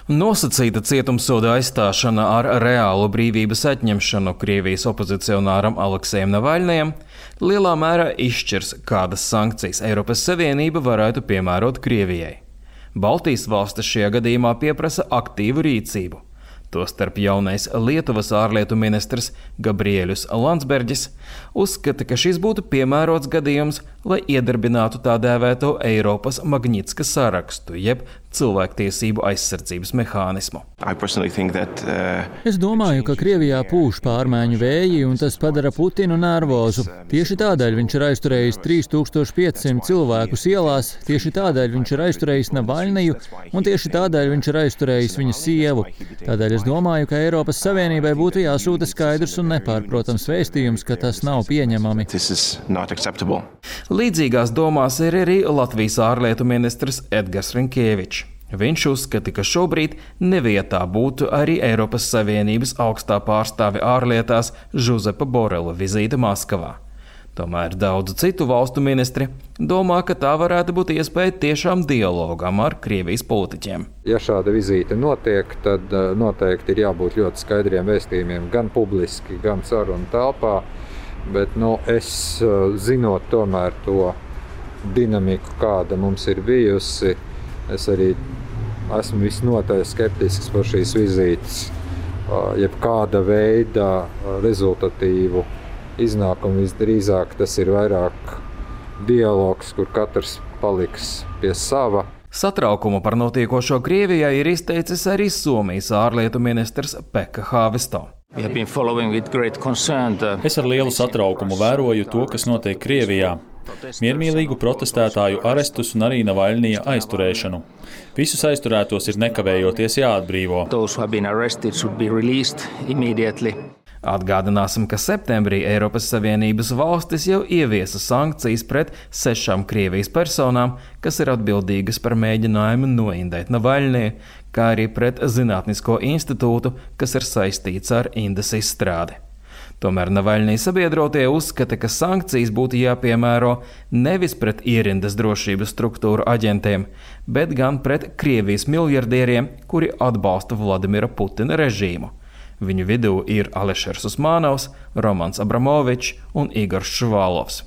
Nosacīta cietumsoda aizstāšana ar reālu brīvības atņemšanu Krievijas opozicionāram Aleksejam Navaļnijam lielā mērā izšķirs, kādas sankcijas Eiropas Savienība varētu piemērot Krievijai. Baltijas valstis šajā gadījumā pieprasa aktīvu rīcību. Tostarp jaunais Lietuvas ārlietu ministrs Gabrielius Landsbergis uzskata, ka šis būtu piemērots gadījums, lai iedarbinātu tā dēvēto Eiropas Magnitska sarakstu, jeb cilvēktiesību aizsardzības mehānismu. Es domāju, ka Krievijā pūš pārmaiņu vēji, un tas padara Putinu nervozu. Tieši tādēļ viņš ir aizturējis 3500 cilvēkus ielās, tieši tādēļ viņš ir aizturējis Navaļniju, un tieši tādēļ viņš ir aizturējis viņa sievu. Tādēļ es domāju, ka Eiropas Savienībai būtu jāsūta skaidrs un nepārprotams vēstījums, ka tas nav pieņemami. Līdzīgās domās ir arī Latvijas ārlietu ministrs Edgars Rinkēvičs. Viņš uzskata, ka šobrīd nevietā būtu arī Eiropas Savienības augstā pārstāve ārlietās Žuzepa Borela vizīte Maskavā. Tomēr daudzu citu valstu ministri domā, ka tā varētu būt iespēja tiešām dialogam ar Krievijas politiķiem. Ja šāda vizīte notiek, tad noteikti ir jābūt ļoti skaidriem vēstījumiem gan publiski, gan sarunu telpā, bet es zinot tomēr to dinamiku, kāda mums ir bijusi, es arī esmu visnotaļ skeptisks par šīs vizītes, jebkāda veida rezultatīvu iznākumu. Visdrīzāk tas ir vairāk dialogs, kur katrs paliks pie sava. Satraukumu par notiekošo Krievijā ir izteicis arī Somijas ārlietu ministrs Pekka Haavisto. Es ar lielu satraukumu vēroju to, kas notiek Krievijā. Miermīlīgu protestētāju arestus un arī Navaļnija aizturēšanu. Visus aizturētos ir nekavējoties jāatbrīvo. Atgādināsim, ka septembrī Eiropas Savienības valstis jau ieviesa sankcijas pret 6 Krievijas personām, kas ir atbildīgas par mēģinājumu noindēt Navaļniju, kā arī pret Zinātnisko institūtu, kas ir saistīts ar Indas izstrādi. Tomēr Navaļnija sabiedrotie uzskata, ka sankcijas būtu jāpiemēro nevis pret ierindas drošības struktūru aģentiem, bet gan pret Krievijas miljardieriem, kuri atbalsta Vladimira Putina režīmu. Viņu vidū ir Alešers Usmanovs, Romans Abramovičs un Igors Švalovs.